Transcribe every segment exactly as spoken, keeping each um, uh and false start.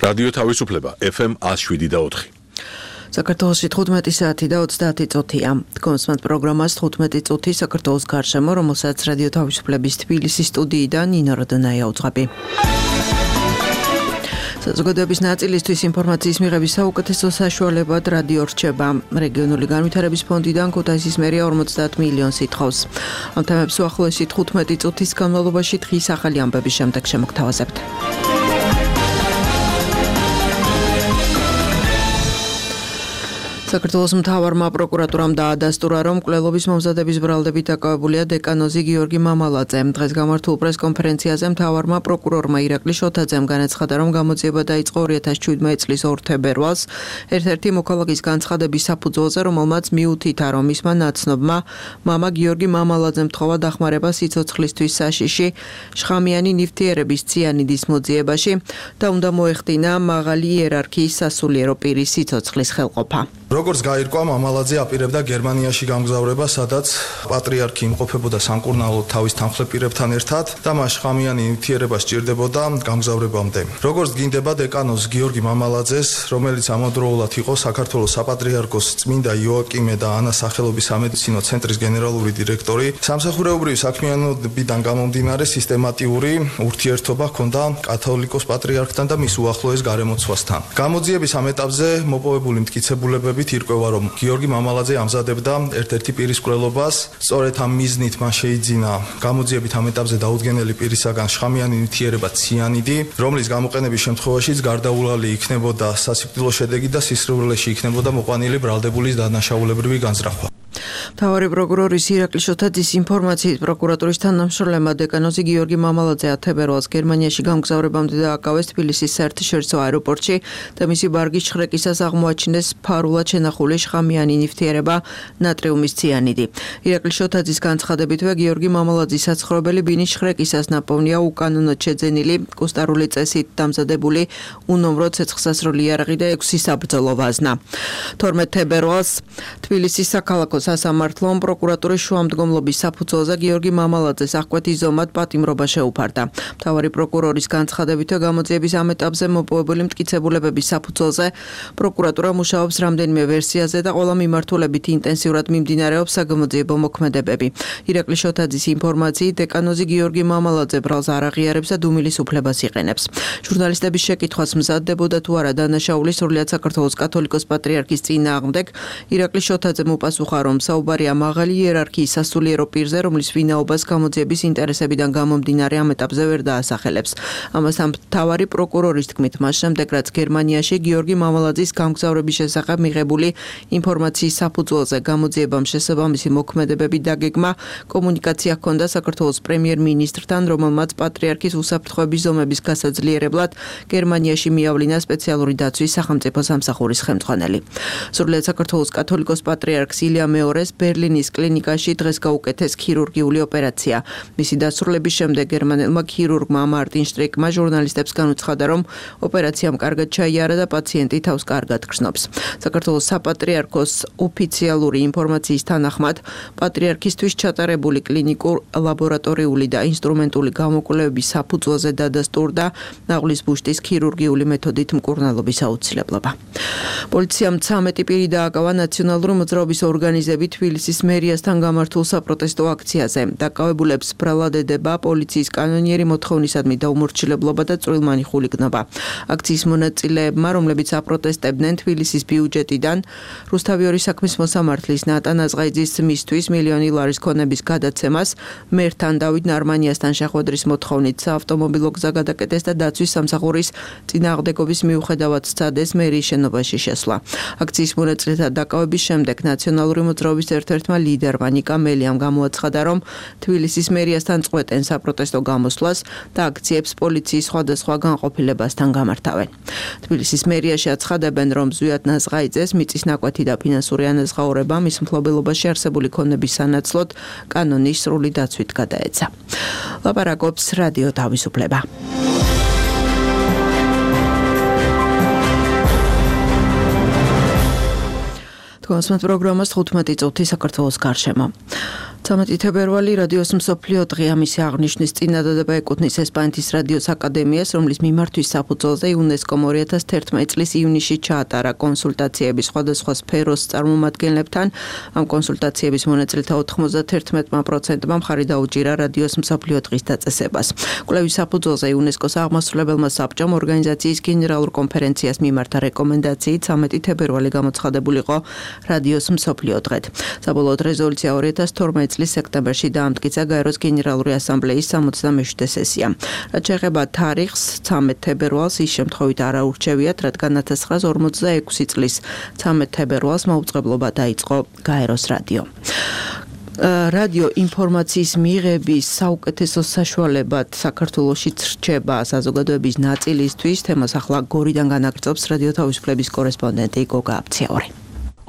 რადიო თავისუფლება ეფ ემ one oh seven და four. საქართველოში თხუთმეტი საათი და ოცდაათი წუთია. კონსმანტ პროგრამას თხუთმეტი წუთი საქართველოს გარშემო, რომელსაც რადიო თავისუფლების თბილისის სტუდიიდან ნინო როდონაია უძღვები. საზოგადოების ნაწილისთვის ინფორმაციის მიღების საუკეთესო საშუალებად რადიო რჩება. რეგიონული განვითარების ფონდიდან ქუთაისის მერია ორმოცდაათ მილიონს ითხოვს. ამ თემებს უახლოესი თხუთმეტი წუთის განმავლობაში დღის ახალი ამბების შემდეგ შემოგთავაზებთ. საქართველოს მთავარმა პროკურატურამ დაადასტურა, რომ მკვლელობის მომზადების ბრალდებით დაკავებულია დეკანოზი გიორგი მამალაძე. დღეს გამართულ პრესკონფერენციაზე მთავარმა პროკურორმა ირაკლი შოთაძემ განაცხადა, რომ გამოძიება დაიწყო ორი ათას შვიდმეტი წლის ორ თებერვალს, ერთ-ერთი მოქალაქის განცხადების საფუძველზე, რომელმაც მიუთითა, რომ მისმა ნაცნობმა მამა გიორგი მამალაძემ თხოვა დახმარება სიცოცხლისთვის საშიში შხამიანი ნივთიერების ციანიდის მოძიებაში და უნდა მოეხდინა მაღალი იერარქიის სასულიერო პირის სიცოცხლის ხელყოფა. როგორც გაირკვა, მამალაძე აპირებდა გერმანიაში გამგზავრება, სადაც პატრიარქი იმყოფებოდა სამკურნალოდ თავის თანხლεπირებთან ერთად და მას შხამიანი ნივთიერება სჭირდებოდა გამგზავრებამდე. როგორც გინდება დეკანოზ გიორგი მამალაძეს, რომელიც ამავდროულად იყო საქართველოს საპატრიარქოს წმინდა იოაკიმე და ანას სახელობის სამედიცინო ცენტრის გენერალური დირექტორი, სამსახურეობრივი საქმიანობიდან გამომდინარე სისტემატიური ურთიერთობა ჰქონდა კათოლიკოს პატრიარქთან და მის უახლოეს გარემოცვასთან. გამოძიების ამ ეტაპზე მოპოვებული მტკიცებულებები ირკვევა, რომ გიორგი მამალაძე ამზადებდა ერთ-ერთი პირის მკვლელობას. სწორედ ამ მიზნით მას შეიძინა გამოძიებით ამ ეტაპზე დაუდგენელი პირისაგან შხამიანი ნივთიერება ციანიდი, რომლის გამოყენების შემთხვევაშიც გარდაუვალი იქნებოდა სასიკვდილო შედეგი და სისხლძარღვში იქნებოდა მოყვანილი ბრალდებულის დანაშაულებრივი განზრახვა. მთავარი პროკურორის ირაკლი შოთაძის ინფორმაციით, პროკურატურის თანამშრომლებმა დეკანოზი გიორგი მამალაძე ათ თებერვალს გერმანიაში გამგზავრებამდე დააკავეს თბილისის საერთაშორისო აეროპორტში და მისი ბარგის შხრეკისას აღმოაჩინეს ფარულად შენახული შხამიანი ნივთიერება ნატრიუმის ციანიდი. ირაკლი შოთაძის განცხადებითვე გიორგი მამალაძის საცხოვრებელი ბინის შხრეკისას ნაპოვნია უკანონოდ შეძენილი კუსტარული წესით დამზადებული უნომრო ცეცხლსასროლი იარაღი და ექვსი საბრძოლო ვაზნა. თორმეტ თებერვალს თბილისის საქალაქო სასამართლომ პროკურატურის შუამდგომლობის საფუძველზე გიორგი მამალაძეს აღკვეთის ზომად პატიმრობა შეუფარდა. მთავარი პროკურორის განცხადებითვე გამოძიების ამ ეტაპზე მოპოვებული მტკიცებულებების საფუძველზე პროკურატურა მუშაობს რამდენიმე ვერსიაზე და ყველა მიმართულებით ინტენსიურად მიმდინარეობს საგამოძიებო მოქმედებები. ირაკლი შოთაძის ინფორმაციით, დეკანოზი გიორგი მამალაძე ბრალს არ აღიარებს და დუმილის უფლებას იყენებს. ჟურნალისტების შეკითხვას მზადდებოდა თუ არა დანაშაული სრულიად საქართველოს კათოლიკოს პატრიარქის წინააღმდეგ, ირაკლი შოთაძემ უპასუხა, რომ საუბარია მაღალი იერარქიის სასულიერო პირზე, რომლის ვინაობას გამოძიების ინტერესებიდან გამომდინარე ამ ეტაპზე ვერ დაასახელებს. ამასთან მთავარი პროკურორის თქმით, მას შემდეგ რაც გერმანიაში გიორგი მამალაძის გამგზავრების შესახებ მიღებული ინფორმაციის საფუძველზე გამოძიებამ შესაბამისი მოქმედებები დაგეგმა, კომუნიკაცია ჰქონდა საქართველოს პრემიერ-მინისტრთან, რომელმაც პატრიარქის უსაფრთხოების ზომების გასაძლიერებლად გერმანიაში მიავლინა სპეციალური დაცვის სახელმწიფო სამსახურის ხელმძღვანელი. სრულიად საქართველოს კათოლიკოს პატრიარქს ილია მეორეს ბერლინის კლინიკაში დღეს გაუკეთეს ქირურგიული ოპერაცია. მისი დასრულების შემდეგ გერმანელმა ქირურგმა მარტინ შტრიკმა ჟურნალისტებს განუცხადა, რომ ოპერაციამ კარგად ჩაიარა და პაციენტი თავს კარგად გრძნობს. საქართველოს საპატრიარქოს ოფიციალური ინფორმაციის თანახმად, პატრიარქისთვის ჩატარებული კლინიკურ, ლაბორატორიული და ინსტრუმენტული გამოკვლევების საფუძველზე დადასტურდა ნაღლის ბუშტის ქირურგიული მეთოდით მკურნალობის აუცილებლობა. პოლიციამ ცამეტი პირი დააკავა ნაციონალური მოძრაობის ორგანიზებით თბილისის მერიასთან გამართულ საპროტესტო აქციაზე. დაკავებულებს ბრალად ედება პოლიციის კანონიერი მოთხოვნისადმი დაუმორჩილებლობა და წვრილმანი ხულიგნობა. აქციის მონაწილეებმა, რომლებიც აპროტესტებდნენ თბილისის ბიუჯეტიდან რუსთავიორის საქმის მოსამართლის ნატან აზღაიძის მისთვის მილიონი ლარის ქონების გადაცემას, მერთან დავით ნარმანიასთან შეხვედრის მოთხოვნით საავტომობილო გზა გადაკეტეს და დაცვის სამსახურის წინააღმდეგობის მიუხედავად სცადეს მერიის შენობაში შესვლა. აქციის მონაწილეთა დაკავების შემდეგ ნაციონალური მოძრაობის ერთ-ერთმა ლიდერმა ნიკა მელიამ გამოაცხადა, რომ თბილისის მერიასთან წყვეტენ საპროტესტო გამოსვლას და აქციებს პოლიციის სხვადასხვა განყოფილებასთან გამართავენ. თბილისის მერიაში აცხადებენ, რომ ზვიად ნაზღაიძეს მიწის ნაკვეთი და ფინანსური ანაზღაურება მის მფლობელობაში არსებული ქონების სანაცვლოდ კანონის სრული დაცვით გადაეცა. ლაპარაკობს რადიო თავისუფლება. კონსმანტ პროგრამას თხუთმეტი წუთი საქართველოს გარშემო. ცამეტი თებერვალი რადიოს მსოფლიო დღე ამისი აღნიშნის წინადადება ეკუთვნის ესპანეთის რადიოს აკადემიას, რომლის მიმართვის საფუძველზე იუნესკომ ორი ათას თერთმეტი წლის ივნისში ჩაატარა კონსულტაციები სხვადასხვა სფეროს წარმომადგენლებთან. ამ კონსულტაციების მონაწილეთა ოთხმოცდათერთმეტი პროცენტმა მხარი დაუჭირა რადიოს მსოფლიო დღის დაწესებას. კვლევის საფუძველზე იუნესკოს აღმასრულებელმა საბჭომ ორგანიზაციის გენერალურ კონფერენციას მიმართა რეკომენდაციით ცამეტი თებერვალი გამოცხადებულიყო რადიოს მსოფლიო დღედ. საბოლოოდ რეზოლუცია ორი ათას თორმეტი წლის სექტემბერში დაამტკიცა გაეროს გენერალური ასამბლეის სამოცდამეშვიდე სესია. რაც შეეხება თარიღს, ცამეტი თებერვალს ის შემთხვევით არ აურჩევიათ, რადგან ათას ცხრაას ორმოცდაექვსი წლის ცამეტი თებერვალს მაუწყებლობა დაიწყო გაეროს რადიო. რადიო ინფორმაციის მიღების საუკეთესო საშუალებად საქართველოშიც რჩება საზოგადოების ნაწილისთვის. თემას ახლა გორიდან განაგრძობს რადიო თავისუფლების კორესპონდენტი გოგა აფციაური.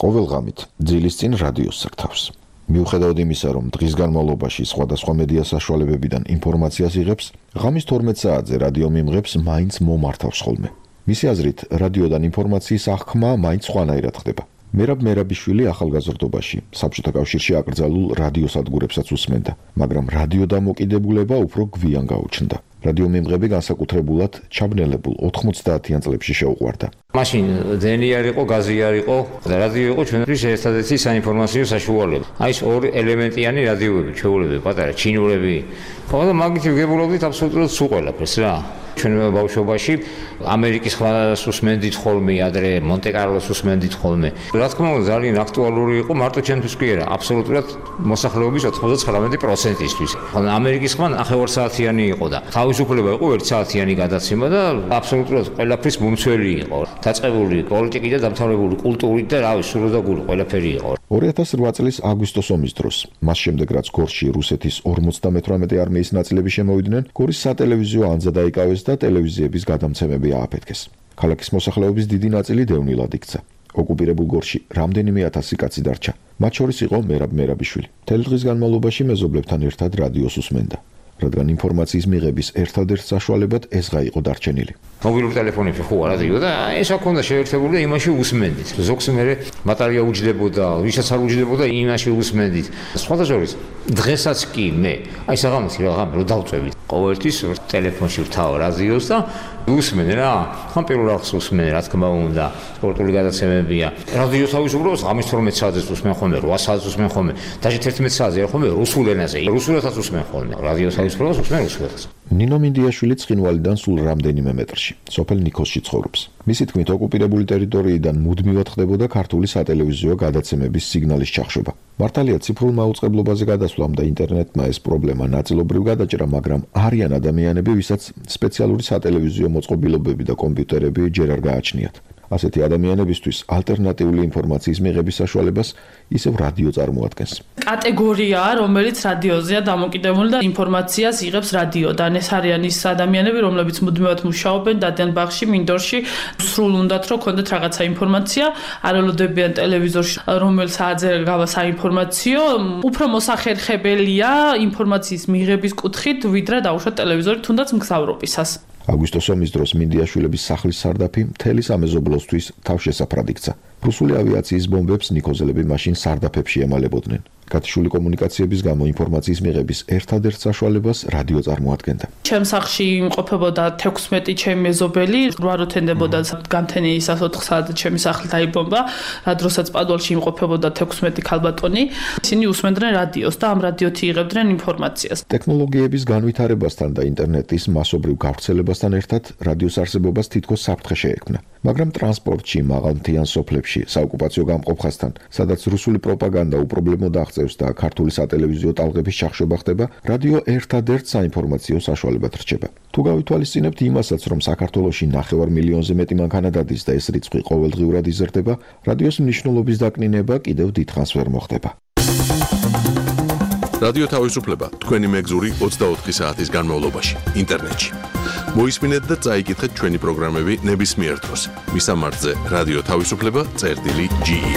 ყოველ ღამით ძილის წინ რადიოს სართავს. მიუხედავად იმისა, რომ დღის განმავლობაში სხვადასხვა მედია საშუალებებიდან ინფორმაციას იღებს, ღამის თორმეტ საათზე რადიო მიმღებს მაინც მომართავს ხოლმე. მისი აზრით, რადიოდან ინფორმაციის აღქმა მაინც სხვანაირად ხდება. მერაბ მერაბიშვილი ახალგაზრდობაში საბჭოთა კავშირში აკრძალულ რადიოსადგურებსაც უსმენდა, მაგრამ რადიო დამოკიდებულება უფრო გვიან გაუჩნდა. რადიო მიმღები განსაკუთრებულად ჩაბნელებულ ოთხმოცდაათიან წლებში შეუყვარდა. მაშინ დენი არ იყო, გაზი არ იყო და რადიო იყო ჩვენთვის ერთადერთი საინფორმაციო საშუალება. აი ეს ორი ელემენტიანი რადიოები, ჩვეულებები, პატარა ჩინურები. ხო და მაგით ვგებულობდით აბსოლუტურად სულ ყველაფერს რა. ჩვენ ბავშვობაში ამერიკის ხმას უსმენდით ხოლმე, ადრე მონტე-კარლოს უსმენდით ხოლმე. რა თქმა უნდა, ძალიან აქტუალური იყო მარტო ჩვენთვის კი არა, აბსოლუტურად მოსახლეობის ოცდათხმეტი პროცენტისთვის. ხოლმე ამერიკის ხმა ნახევარსაათიანი იყო და თავისუფლება იყო ერთ საათიანი გადაცემა და აბსოლუტურად ყველაფრის მომცველი იყო. დაწყებული პოლიტიკით და დამთავრებული კულტურით და რავი, სრულ და გული ყველაფერი იყო. ორი ათას რვა წლის აგვისტოს ომის დროს, მას შემდეგ რაც გორში რუსეთის ორმოცდამეთვრამეტე არმიის ნაწილები შემოვიდნენ, გორის სატელევიზიო ანძა დაიკავეს და ტელევიზიების გადამცემები ააფეთქეს. ქალაქის მოსახლეობის დიდი ნაწილი დევნილად იქცა. ოკუპირებულ გორში რამდენიმე ათასი კაცი დარჩა. მათ შორის იყო მერაბ მერაბიშვილი. მთელი დღის განმავლობაში მეზობლებთან ერთად რადიოს უსმენდა, რადგან ინფორმაციის მიღების ერთადერთ საშუალებად ესღა იყო დარჩენილი. მობილურ ტელეფონებში ხო რადიო და ეს აქ უნდა შეერთებული და იმაში უსმენდით. ზოგს მე ბატარეა უჯდებოდა, ვისაც არ უჯდებოდა, იმაში უსმენდით. სხვათა შორის დღესაც კი მე აი საღამოთი რა ღამე რო დავწევით. ყოველთვის ტელეფონში ვთავ რადიოს და უსმენე რა. ხან პირველ რიგში უსმენე, რა თქმა უნდა, სპორტული გადაცემებია. რადიო თავისუფლებას ღამის თორმეტ საათზე უსმენ ხოლმე, რვა საათზე უსმენ ხოლმე, დაჟე თერთმეტ საათზე არ ხოლმე რუსულ ენაზე. რუსულადაც უსმენ ხოლმე. რადიო თავისუფლებას უსმენ რუსულადაც. ნინო მინდიაშვილი ცხინვალიდან სულ რამდენიმე მეტრში, სოფელ ნიქოსში ცხოვრობს. მისი თქმით, ოკუპირებული ტერიტორიიდან მუდმივად ხდებოდა ქართული სატელევიზიო გადაცემების სიგნალის ჩახშობა. მართალია ციფრულ მაუწყებლობაზე გადასვლამ და ინტერნეტმა ეს პრობლემა ნაწილობრივ გადაჭრა, მაგრამ არიან ადამიანები, ვისაც სპეციალური სატელევიზიო მოწყობილობები და კომპიუტერები ჯერ არ გააჩნიათ. ასეთი ადამიანებისთვის ალტერნატიული ინფორმაციის მიღების საშუალებას ისევ რადიო წარმოადგენს. კატეგორიაა, რომელიც რადიოზეა დამოკიდებული და ინფორმაციას იღებს რადიოდან. ეს არიან ის ადამიანები, რომლებიც მუდმივად მუშაობენ დადიან ბაღში, მინდორში, სრულ უნდათ რომ ქონდეთ რაღაცა ინფორმაცია, არ ელოდებიან ტელევიზორში, რომელ საათზე გავა საინფორმაციო, უფრო მოსახერხებელია ინფორმაციის მიღების კუთხით, ვიდრე დაუშვათ ტელევიზორი თუნდაც მგზავრობისას. აგვისტოს ომის დროს მინდიაშვილების სახლის სარდაფი მთელი სამეზობლოსთვის თავშესაფრად იქცა. რუსული ავიაციის ბომბებს ნიქოზელები მაშინ სარდაფებში ემალებოდნენ. გათიშული კომუნიკაციების გამო ინფორმაციის მიღების ერთადერთ საშუალებას რადიო წარმოადგენდა. ჩემს სახლში იმყოფებოდა თექვსმეტი ჩემი მეზობელი, რვა რო თენდებოდა გამთენიისას ოთხ საათზე ჩემი სახლი დაიბომბა, რა დროსაც პადუალში იმყოფებოდა თექვსმეტი ქალბატონი. ისინი უსმენდნენ რადიოს და ამ რადიოთი იღებდნენ ინფორმაციას. ტექნოლოგიების განვითარებასთან და ინტერნეტის მასობრივ გავრცელებასთან ერთად რადიოს არსებობას თითქოს საფრთხე შეექმნა. მაგრამ ტრანსპორტში, მაღალმთიან სოფლებში, საოკუპაციო გამყოფხასთან, სადაც რუსული პროპაგანდა უპრობლემოდ აღწევს და ქართული სატელევიზიო ტალღების ჩახშობა ხდება, რადიო ერთადერთ საინფორმაციო საშუალებად რჩება. თუ გავითვალისწინებთ იმასაც, რომ საქართველოში ნახევარ მილიონზე მეტი მანქანა დადის და ეს რიცხვი ყოველდღიურად იზრდება, რადიოს მნიშვნელობის დაკნინება კიდევ დიდხანს ვერ მოხდება. რადიო თავისუფლება თქვენი მეგზური ოცდაოთხი საათის განმავლობაში ინტერნეტში. მოისმინეთ და წაიკითხეთ ჩვენი პროგრამები ნებისმიერ დროს. მისამართზე რადიო თავისუფლება წერტილი ჯი ი.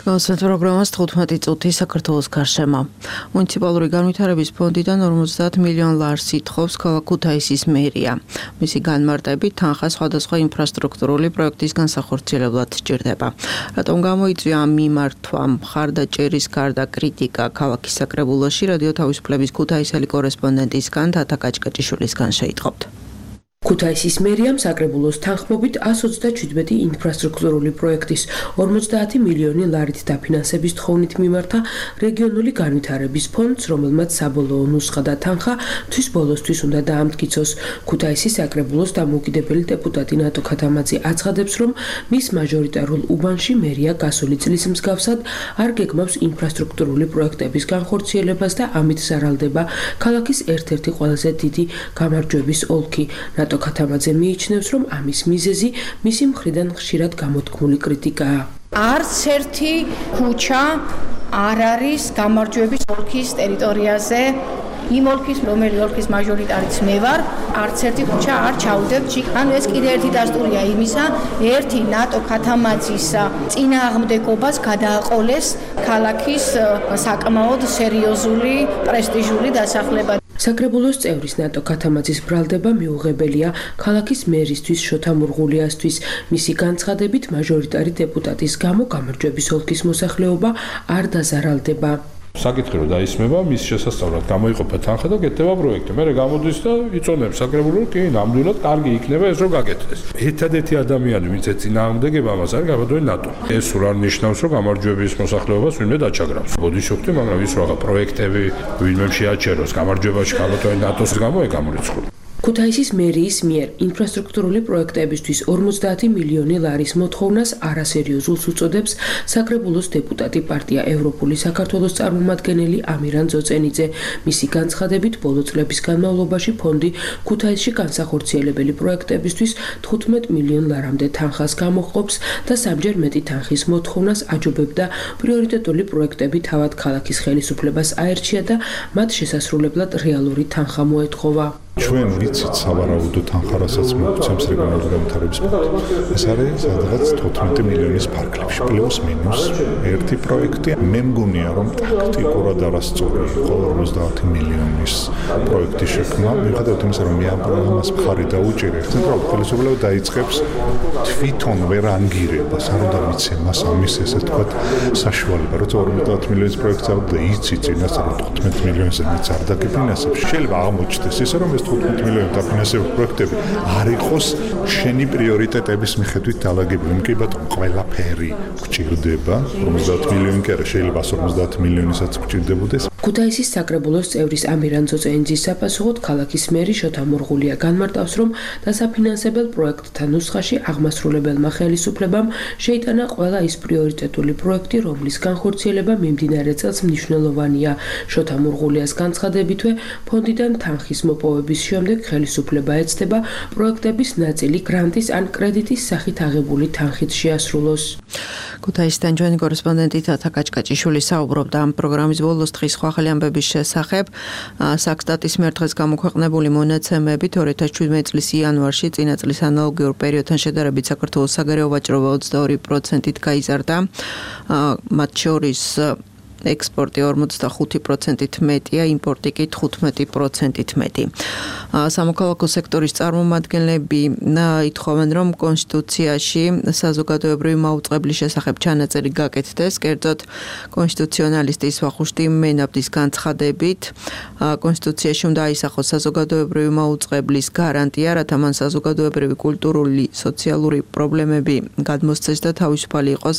განსვეთ პროგრამას თხუთმეტი წუთი საქართველოს გარშემო. მუნიციპალური განვითარების ფონდიდან ორმოცდაათ მილიონ ლარს ითხოვს ქალაქ ქუთაისის მერია. მისი განმარტებით თანხა სხვადასხვა ინფრასტრუქტურული პროექტის განსახორციელებლად სჭირდება. რატომ გამოიწვია ამ მიმართვამ მხარდაჭერის გარდა კრიტიკა ქალაქის საკრებულოში რადიო თავისუფლების ქუთაისელი კორესპონდენტისგან თათა კაჭკაჭიშვილისგან შეიტყობთ. ქუთაისის მერიამ საკრებულოს თანხმობით εκατს ოცდაჩვიდმეტი ინფრასტრუქტურული პროექტის ორმოცდაათი მილიონი ლარით დაფინანსების თხოვნით მიმართა რეგიონული განვითარების ფონდს, რომელმაც საბოლოო ნუსხა და თანხა თვის ბოლოსთვის უნდა დაამტკიცოს. ქუთაისის საკრებულოს დამოუკიდებელი დეპუტატი ნატო ქათამაძე აცხადებს, რომ მის მაჟორიტარულ უბანში მერია გასული წლის მსგავსად არ გეგმავს ინფრასტრუქტურული პროექტების განხორციელებას და ამით ზარალდება ქალაქის ერთ-ერთი ყველაზე დიდი გამარჯვების ოლქი. ნატო ქათამაძე მიიჩნევს, რომ ამის მიზეზი მისი მხრიდან ხშირად გამოთქმული კრიტიკაა. არც ერთი ქუჩა არ არის გამარჯვების ოლქის ტერიტორიაზე. იმ ოლქის, რომელი ოლქის მაჟორიტარიც მე ვარ, არც ერთი ქუჩა არ ჩაუდებთ ჩიქ. ანუ ეს კიდე ერთი დასტურია იმისა, ერთი ნატო ქათამაძის წინააღმდეგობას გადააყოლეს ქალაქის საკმაოდ სერიოზული პრესტიჟული დასახლება. საკრებულოს წევრის ნატო ქათამაძის ბრალდება მიუღებელია ქალაქის მერისთვის შოთა მურღულიასთვის. მისი განცხადებით მაჟორიტარი დეპუტატის გამო გამარჯვების ოლქის მოსახლეობა არ დაზარალდება. საკითხი რომ დაისმება, მის შესასწავლად გამოიყოფა თანხა და გეტდება პროექტი. მერე გამოდის და იწონებს საკრებულო, კი, ნამდვილად კარგი იქნება ეს რომ გაკეთდეს. ერთადერთი ადამიანი, ვინც ეწინააღმდეგება ამას არის გაბატონი ნატო. ეს სულ არ ნიშნავს, რომ გამარჯვების მოსახლეობას ვინმე დაჩაგრავს. ბოდიშოქთი, მაგრამ ის რა პროექტები ვინმე შეაჩეროს გამარჯვებაში გაბატონი ნატოს გამო ეგ გამორიცხული. ქუთაისის მერიის მიერ ინფრასტრუქტურული პროექტებისთვის ორმოცდაათი მილიონი ლარის მოთხოვნას არასერიოზულს უწოდებს საკრებულოს დეპუტატი პარტია ევროპული საქართველოს წარმომადგენელი ამირან ძოწენიძე. მისი განცხადებით, ბოლო წლების განმავლობაში ფონდი ქუთაისში განსახორციელებელი პროექტებისთვის თხუთმეტ მილიონ ლარამდე თანხას გამოჰყოფს და სამჯერ მეტი თანხის მოთხოვნას აჯობებდა პრიორიტეტული პროექტები თავად ქალაქის ხელისუფლებას აერჩია და მათ შესასრულებლად რეალური თანხა მოეთხოვა. ჩვენ ვიცით სავარაუდო თანხა, რასაც მოგცემს რეგიონალური განვითარების ფონდი. ეს არის სადღაც თხუთმეტი მილიონის ფარგლებში, პლუს მინუს ერთი პროექტი. მე მგონია, რომ ტაქტიკურად არასწორი იყო ორმოცდაათი მილიონის პროექტის შექმნა. მიუხედავად იმისა, რომ მე ამას მხარი დაუჭირე, ცენტრალური ხელისუფლება დაიწყებს თვითონ ვერ ანგირებას, არ უნდა მიცემ მას ამის ესე თქვათ საშუალება, როცა ორმოცდაათი მილიონის პროექტს ავდა იცი წინასწარ თხუთმეტ მილიონზე მეც არ დაგიფინანსებს. შეიძლება აღმოჩნდეს ისე, რომ თხუთმეტ მილიონი დაფინანსებული პროექტები არ იყოს შენი პრიორიტეტების მიხედვით დალაგებული. კი ბატონო, ყველაფერი გვჭირდება. ორმოცდაათი მილიონი კი არა, შეიძლება ას ორმოცდაათი მილიონისაც გვჭირდებოდეს. ქუთაისის საკრებულოს წევრის ამირან ძოწენიძის საფასუხოდ ქალაქის მერი შოთა მურღულია განმარტავს, რომ დასაფინანსებელ პროექტთა ნუსხაში აღმასრულებელმა ხელისუფლებამ შეიტანა ყველა ის პრიორიტეტული პროექტი, რომლის განხორციელება მიმდინარე წელს მნიშვნელოვანია. შოთა მურღულიას განცხადებითვე, ფონდიდან თანხის მოპოვების შემდეგ ხელისუფლება ეცდება პროექტების ნაწილი გრანტის ან კრედიტის სახით აღებული თანხით შეასრულოს. ქუთაისიდან ჩვენი კორესპონდენტი თათა კაჭკაჭიშვილი საუბრობდა ამ პროგრამის ბოლოს დღის სხვა ახალი ამბების შესახებ. საქსტატის მიერ დღეს გამოქვეყნებული მონაცემებით ორი ათას შვიდმეტი წლის იანვარში წინა წლის ანალოგიურ პერიოდთან შედარებით საქართველოს საგარეო ვაჭრობა ოცდაორი პროცენტით გაიზარდა. მათ შორის ექსპორტი ორმოცდახუთი პროცენტით მეტია, იმპორტი კი თხუთმეტი პროცენტით მეტი. სამოქალაქო სექტორის წარმომადგენლები ითხოვენ, რომ კონსტიტუციაში საზოგადოებრივი მაუწყებლის შესახებ ჩანაწერი გაკეთდეს. კერძოდ, კონსტიტუციონალისტის ვახუშტი მენაბდის განცხადებით, კონსტიტუციაში უნდა აისახოს საზოგადოებრივი მაუწყებლის გარანტია, რათა მან საზოგადოებრივი, კულტურული, სოციალური პრობლემები გადმოსცეს და თავისუფალი იყოს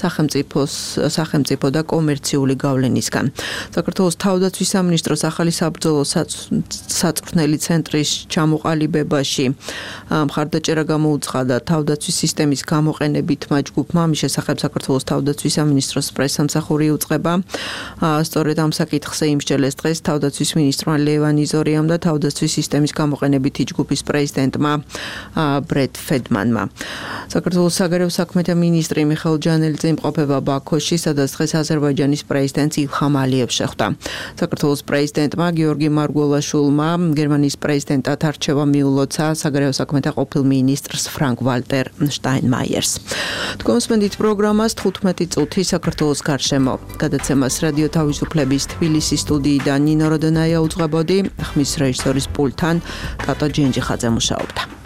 სახელმწიფოს, სახელმწიფო და კომერციული გავლენისგან. საქართველოს თავდაცვის სამინისტროს ახალი საბრძოლო საწვრთნელი ცენტრის ჩამოყალიბებაში მხარდაჭერა გამოუცხადა თავდაცვის სისტემის გამოყენებითმა ჯგუფმა. ამის შესახებ საქართველოს თავდაცვის სამინისტროს პრესსამსახური უწყება. სწორედ ამ საკითხზე იმსჯელეს დღეს თავდაცვის მინისტრმა ლევან იზორიამ და თავდაცვის სისტემის გამოყენებითი ჯგუფის პრეზიდენტმა ბრედ ფედმანმა. საქართველოს საგარეო საქმეთა მინისტრი მიხეილ ჯანელიძე იმყოფება ბაქოში, სადაც დღეს აზერბაიჯანის პრეზიდენტს ილხამ ალიევს შეხვდა. საქართველოს პრეზიდენტმა გიორგი მარგველაშვილმა გერმანიის პრეზიდენტად არჩევა მიულოცა საგარეო საქმეთა ყოფილ მინისტრს ფრანკ ვალტერ შტაინმაიერს. თქვენსმენდით პროგრამას თხუთმეტი წუთი საქართველოს გარშემო. გადაცემას რადიო თავისუფლების თბილისის სტუდიიდან ნინო როდონაია უძღვებოდი, ხმის რეჟისორის პულტთან კატო ჯინჯიხაძე მუშაობდა.